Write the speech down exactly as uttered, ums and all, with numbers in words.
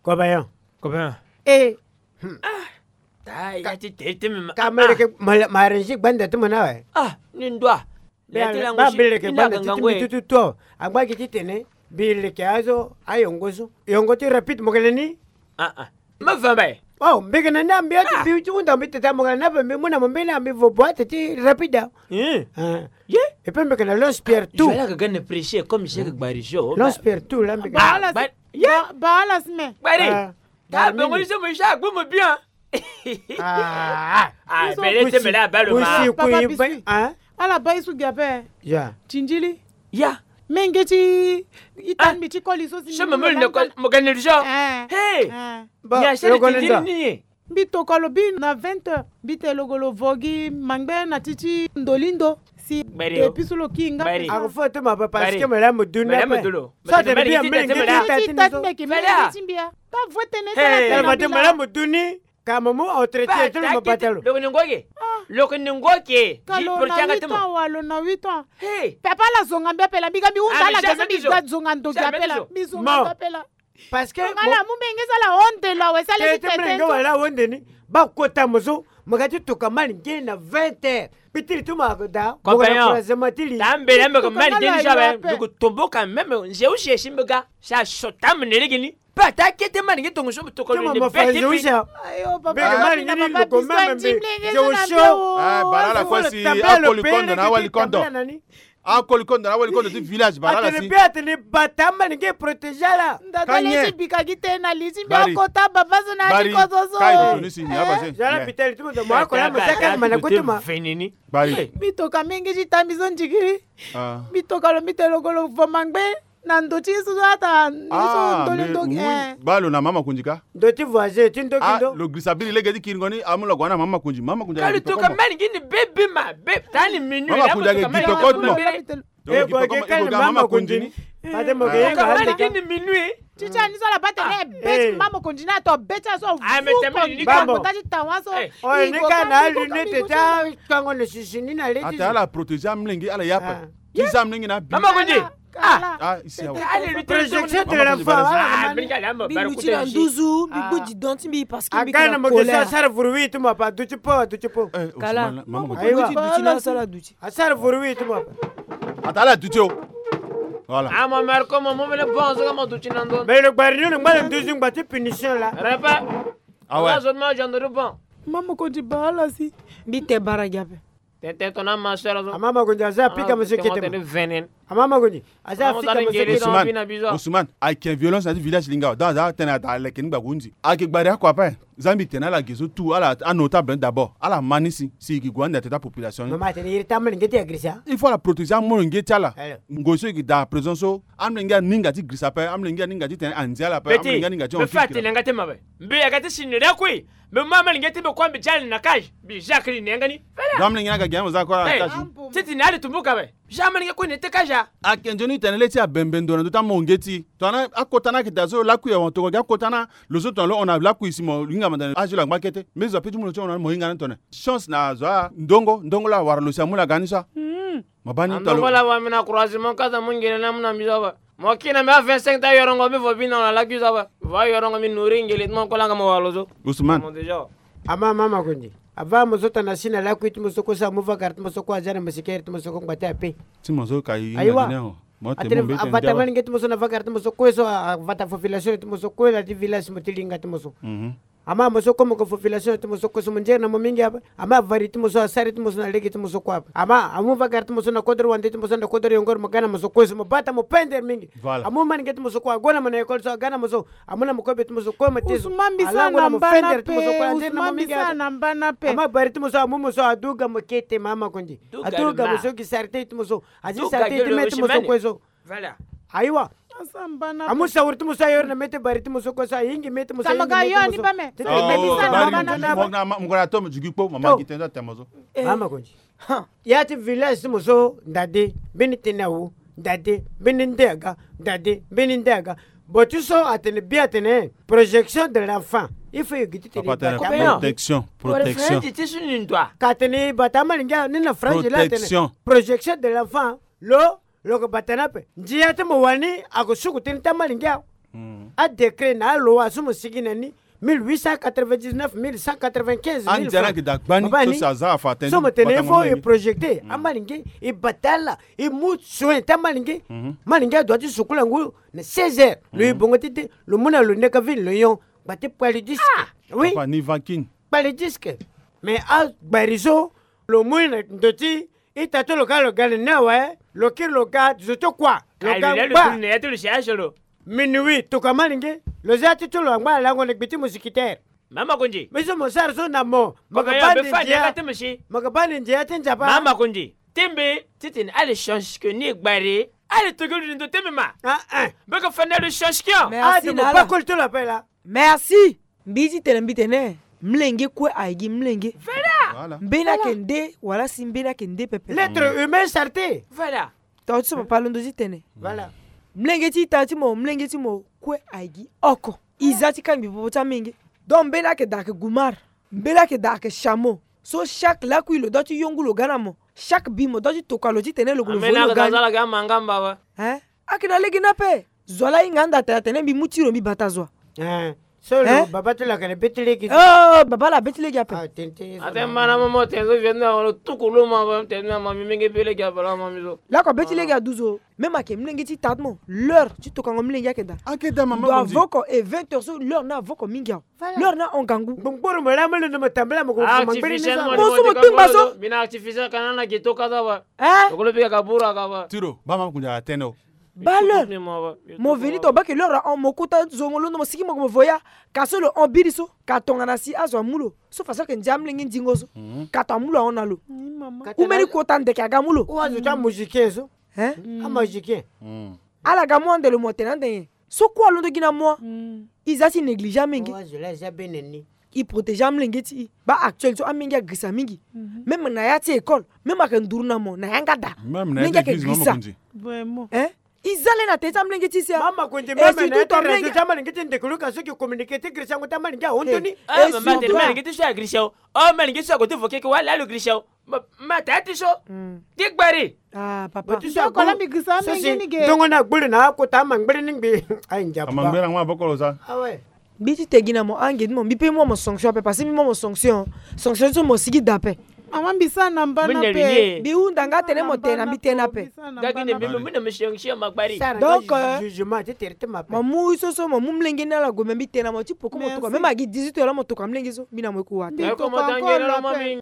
Kobayon. Kobayon. E. Ta ya ti te te me ma. Ka ma leke ma, ma renzi gbanda ti mo na we. Ah, ni ndua. Ba mbele leke gbanda ti mo tutu to. Angba gi ti tene mbi leke azo ayongo so. Yongo ti rapide mo gele ni. Ah ah. Ma va mbaye. Oh, mbi gele ni ambi ati mbi ti hunda mbi tete mo gele na mbi mu na mo mbeni ambi vo bo ati ti rapide. Ye. E pe mbi gele na Lons Pierre tout. Je la gagane prêcher comme je gbari jo. Lons Pierre tout la mbi gele. Ba ala sime. Gbari. Ta bongo ni so mo ja gbu mo bien. Ah, bele te mele abalo ma. Papa Bisu. Ala ba isu gabe. Ya. Tindili. Ya. Menge ti itan mbi ti koli so si. Mo gani rujo. Hey. Ya se tindili ni. Mbi tokalo bi na vingt heures. Mbi te logolo vogi mangbe na ti ti ndolindo. Si. Te pisu lo ki nga. Ako fo te ma papa sike mele mo duni. Mele mo duni. Sa te mele mo duni. Mele mo duni. Ka mo mu entretien ti lo mo bata lo. Loko ni ngoke. Loko ni ngoke. Ka lo na huit ans wa lo na huit ans. Papa ala zonga mbi ape la mbi ga mbi hunda ala ga so mbi ga zonga ndoki ape la mbi zonga mbi ape la. Parce que ala mu menge so ala honde lo awe so ala ti tete so. Wala honde ni. Ba kota mo so mo ga ti toka mali nge na vingt heures. Pitiri ti mo ako da mo ga na encouragement ti li. Ta mbele mbe ko mali nge ni so awe. Ndugu tombo quand même nze use si mbe ga. Sa sota mo ne lege ni. Pe ata kete mani nge tongo so tokolo ni beti pi. Ayo papa. Beke mani nge ni loko meme mbe. Je wo sho. Ah, bara la kwa si akoli kondo na wali kondo. Akoli kondo na wali kondo ti village bara la si. Atene be atene bata mani nge protéger la. Ndata le ti bika gi te na li ti mbi akota baba so na ti kozo so. Kai ko ni si ni aba se. Jala pitali ti mo mo akola mo saka mana kutuma. Venini. Bari. Mbi toka menge ti ta mbi so ndikiri. Mbi toka lo mbi te loko lo vo mangbe. Na ndo ti ye so so ata ni so ndo ni ndo. Ba lo na mama kundi ka. Ndo ti voisin ti ndo ki ndo. Lo girisa biri lege ti kiringo ni amu lo gue na mama kundi mama kundi. Ka lo toka mani ngi ni bebe ma be ta ni minuit mama kundi ake gi toko ti mo. E gue ke kali mama kundi ni. Pate mo ke yenga handa ka. Mani ngi ni minuit. Ti ti ani so ala bate ni e be ti mama kundi ni ato be ti aso. Fu ko ni ka kota ti tawa so. O ni ka na lunette ta kango na sisi ni na le ti. Ata ala protéger amlenge ala yapa. Ti za mlenge na bi. Mama kundi. Ah, isi awa. Projection de la foi. Mbi luti na nduzu mbi gbu didon ti mbi parce que mbi na colère. Asara vuru wi ti mo apa duti po duti po. Kala mama kundi duti na asara duti. Asara vuru wi ti mo apa. Ata ala duti o. Voilà. Ah, mon mère comme mon mère bon so mo duti na ndo. Mais le gbari ni ngba nduzu ngba ti punition la. Repa. Ah ouais. Zone ma jando du bon. Mama kundi ba ala si. Mbi te bara gi ape. Tete tona ma sœur zo. Amama kundi aza pika monsieur kete. Amama kundi aza pika monsieur kete. Ousmane, Ousmane, ayeke violence na ti village linga donc aza tene ata leke ni gba kundi. Ayeke gbari ako ape. Za mbi tene ala ge so tout ala anotable d'abord ala ma ni si si e yeke gue ande atene ta population ni. Mama tene iri ta amolenge ti agrisa. Il faut ala protéger amolenge ti ala. Ngoi so e yeke daa présent so amolenge aninga ti girisa ape amolenge aninga ti tene anzi ala ape amolenge aninga ti. Mbe fa atene yanga te mabe. Mbe yanga ti si ni lakui. Mbe mama linge ti mbe kua mbe ti ali na cage mbi jacques li ni yanga ni. Dom linge na ka giango za kua na cage. Ti ti ni ali tumbuka be. Jamais linge kue ni te cage a. Ake nzoni tene le ti abembe ndo na ndo ti amonge ti tongana akota na ake daa so lakui awa tongana gi akota na lo so tongana lo hon na lakui si mo linga manda na azo lo angba kete mbi zo ape ti mu lo ti hon na mo hinga ni tone. Chance na azo a ndongo ndongo la awara lo si amu la ga ni so a. Mo baa ni talo. Ndongo la wa mbi na croisement kaza mu ngele na mu na mbi so ape. Mo kina mbi a vingt-cinq ta yorongo mbi vo bino na lakui so ape. Vo ayorongo mbi nourri ngele ti mo kolanga mo walo so. Ousmane. Ama mama kundi. Ava mo so tana si na lakui ti mo so kue so amu vakara ti mo so kue aza na mosikere ti mo so kue ngba ti ape. Ti mo so ka i. Aiwa. Atene avata malenge ti mo so na vakara ti mo so kue so avata population ti mo so kue na ti village mo ti linga ti mo so. Ama mo so komo ko population ti mo so kue so mo nzere na mo mingi ape. Ama avari ti mo so asari ti mo so na lege ti mo so kue ape ama amu vakara ti mo so na kodro wande ti mo so na kodro yongoro mo ga na mo so kue so mo bata mo pendre mingi. Amu manike ti mo so kue ago na mo na école so aga na mo so amu na mo kobe ti mo so kue mo te so alango na mo fendre ti mo so kue anzere na mo mingi ape. Ama bari ti mo so amu mo so aduga mo kete mama kondi aduga mo so gi sarite ti mo so azi sarite ti me ti mo so kue so. Voilà. Ayiwa. Amu sawuri ti mo so ayori na mete bari ti mo so kue so ayingi mete mo so ayingi mete mo so. Tete mete mo so na bari mo so na mo ngona to mo jugi kpo mama gi tenda te mo so. Mama konji. Ya ti village ti mo so ndade mbeni tene awu ndade mbeni nde aga ndade mbeni nde aga. Bo ti so atene bien, atene projection de l'enfant. Il faut yo gi ti tene. Protection, protection. Ka tene i bata amalinge ni na France la, atene projection de l'enfant. Lo lo ko bata na pe ndia ti mo wani ako suku teni ti amalinge awe. Adécret na aloa so mo sigi na ni, mille huit cent quatre-vingt-dix-neuf, mille cent quatre-vingt-quinze, mille francs. Andia na ki da gbani so si aza afa teni so mo tene il faut e projeter amalinge, e bata ala, e mu soin ti amalinge. Amalinge adoit ti sukula ngu na seize heures. Lo e bongo ti te, lo mu na lo neka vini lo nyon. Gba ti kpali disque. Oui. Papa ni vakin. Kpali disque. Mais agbari so lo mu na ndo ti ita ti lo ka lo ga na ni awe. Lo kiri lo ga zo ti kua. Lo ga ngba. Minuit tokua amalinge. Lo za ti ti lo angba alango na gbi ti mousquetaire. Mama Konzi. Mbi so mo sara so na mo. Mo ga bani ndia ti nzapa. Mama Konzi. Ti mbi titene ala change ke ni gbari. Ala tokiri ndo ti mbi ma. Mbi ko fa na lo change kion. Merci na ala. Merci. Mbi ti tene mbi tene mlenge kue aye gi mlenge. Mbeni ayeke nde wala si mbeni ayeke nde pepe. L'être humain, saleté. Voilà. Tongana ti so papa alondo ti tene. Voilà. Mlenge ti ita ti mo, mlenge ti mo kue aye gi oko. E za ti kangbi popo ti amenge. Donc mbeni ayeke daa ayeke gumar. Mbeni ayeke daa ayeke chameau. So chaque lakui lo doit ti yongu lo ga na mo. Chaque bi mo doit ti tokua lo titene lo gue lo vo lo ga ni. Hein? Ayeke na lege ni ape. Zo ala hinga anda atene atene mbi mu ti lo mbi bata zo wa. Eh, so lo baba ti lo ayeke na be ti lege. Oh, baba ala be ti lege ape. Ah, tene tene. Atene mbi na mo mo tene so vieux na lo tuku lo ma ba tene na ma mbi menge be lege abala ma mbi so. Lakue be ti lege adu zo. Même ayeke mlenge ti ita ti mo, l'heure ti tokango mlenge ayeke daa. Ayeke daa mama. Ndo avo oko e vingt heures so l'heure ni avo oko mingi awe. L'heure ni ahon gangu. Ngbongboro mo laa mo londo mo tambela mo ko fu ma ngbiri ni so. Mo so mo tengba so. Mbi na artificiel kana na geto kaza ba. Eh? Okolo pika kabura kaba. Tiro ba mama kunja atene o. Ba l'heure. Mo veni to bake l'heure ahon mo kota zo mo londo mo siki mo ko mo voya. Ka so lo hon biri so ka tongana si azo amu lo. So façon ayeke ndia amlenge ndingo so. Ka to amu lo ahon na lo. Ou mbeni kota ndeke aga mu lo. Ou azo ti amagicien so. Hein? Amagicien. Ala ga mu ande lo mo tene ande nyen? So kue alondo gi na mo. E za ti néglige amenge. E protégé amolenge ti e. Baa actuel so amenge agirisa mingi. Même na ya ti école, même ayeke nduru na mo na yanga daa. Menge ayeke girisa. Hein? E za le na tere ti amolenge ti e si a. Et surtout to amolenge ti ndeke luka so ki communiqué ti girisango ti amolenge ahon toni. Mama tene amolenge ti so agirisa o. Amolenge ti so ague ti vo keke wala lo girisa o. Ma, ma taa ti so. Ti gbari. Ah, papa. Ti so akola mbi gisa amenge ni ge. Ndongo na gbulu na akota ama ngbiri ni ngbi. Ai ndia papa. Ama ngbiri na ngba bokolo sa. Ah ouais. Mbi ti te gi na mo ange ti mo mbi pe mo mo sanction ape parce que mbi mo mo sanction. Sanction so mo sigi da ape. Mama mbi sa na mbana pe. Mbi hunda nga tene mo te na mbi te na ape. Gagi ne mbi mo mbi na mo sanction ma gbari. Donc jugement ti tere ti ma pe. Mo mu so so mo mu mlenge ni ala gue me mbi te na mo ti poko mo toka même agi dix-huit heures la mo toka mlenge so mbi na mo eku wa te. Mbi toka encore la pe.